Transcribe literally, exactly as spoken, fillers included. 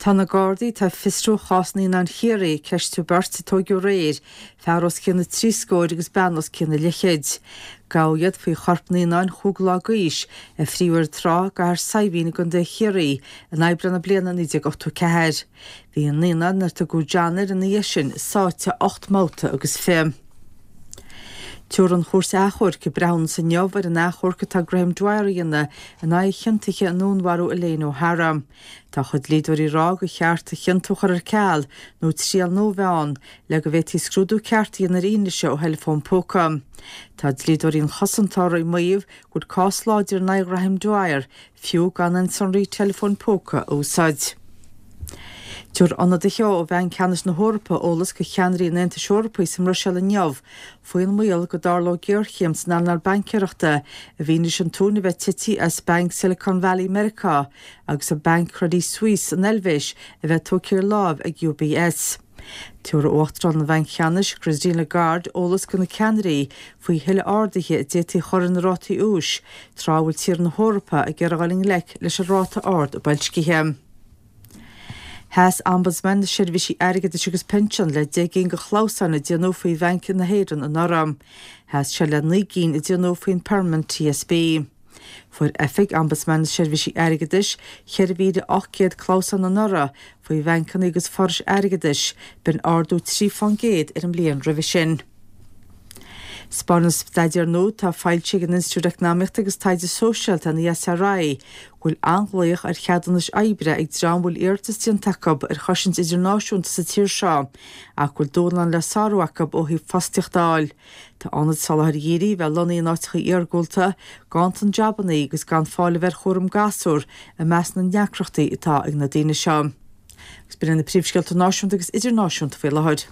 Tá na Gardaí atá ag fiosrú chás naíonáin Chiarraí ag ceistiú beirt a tóigeadh aréir, fear os cionn na trí scóir agus bean os cionn a leithchéid. Gabhadh iad faoi chorp naíonáin chúig lá d'aois a fríodh ar an trá i gCathair Saidhbhín i gContae Chiarraí in Aibreán na bliana naoi déag ochtó ceathair. Bhí an naíonán, ar tugadh John air ina dhiaidh sin, sáite ocht mbabhta agus fiche. Tabharfaidh an Chúirt Achomhairc a breithiúnas inniu ar an achomharc atá Graham Dwyer a dhéanamh in aghaidh a chiontaithe i ndúnmharú Elaine O'Hara. Tá a chuid dlíodóirí ag rá gur cheart a chiontú a chur ar ceal nó triail nua a bheith ann le go bhféadfaí scrúdú ceart a dhéanamh ar fhianaise ó theileafón póca. Tá dlíodóirí an chosantóra ag maíomh go bhfuil cás láidir in aghaidh Ghraham Dwyer, fiú gan aon sonraí teileafóin póca a úsáid. Tabharfaidh ionadaithe ó Bhanc Ceannais na hEorpa eolas do cheannairí an Aontais Eorpaigh sa mBruiséil inniu faoin mbaol go dtarlódh géarchéim san earnáil baincéireachta i bhfianaise an tóin a bheith tite as Banc Silicon Valley Meiriceá agus an Banc Credit Suisse san Eilvéis a bheith tógtha ar láimh ag UBS. Tabharfaidh Uachtarán an Bhainc Cheannais, Christine Lagarde, eolas do na ceannairí faoi thuilleadh arduithe a d'fhéadfaí a chur ar na rátaí úis tráth a bhfuil tíortha na hEorpa ag iarraidh dul i ngleic leis an ráta ard boilscithe. Sheas Ombudsman na Seirbhísí Airgeadais agus Pinsean le deich gcinn de chlamhsáin a déanadh faoi Bhanc na hÉireann anuraidh. Sheas sé le naoi gcinn a déanadh faoin Permanent TSB. Fuair Oifig Ombudsman na Seirbhísí Airgeadais ceithre mhíle ocht gcéad clamhsán anuraidh faoi bhancanna agus forais airgeadais, b'in ardú trí fán gcéad ar an mbliain roimhe sin. 'Spáineann staidéar nua atá foilsithe ag an Institiúid Eacnamaíochta agus Taighde Sóisialta, an ESRI, go bhfuil an-ghlaoch ar cheadúnais oibre ag dream a bhfuil iarratas déanta acu ar chosaint idirnáisiúnta sa tír seo ach go bhfuil dúshlán le sárú acu ó thaobh fostaíocht a fháil. Tá ionaid soláthair dhírigh, bheith lonnaithe in áiteacha iargúlta, ganntan jabannaí agus gan fáil a bheith ar chúram gasúr i measc na ndeacrachtaí atá ag na daoine seo. Agus b'in na príomhscéalta náisiúnta agus idirnáisiúnta faoi láthair.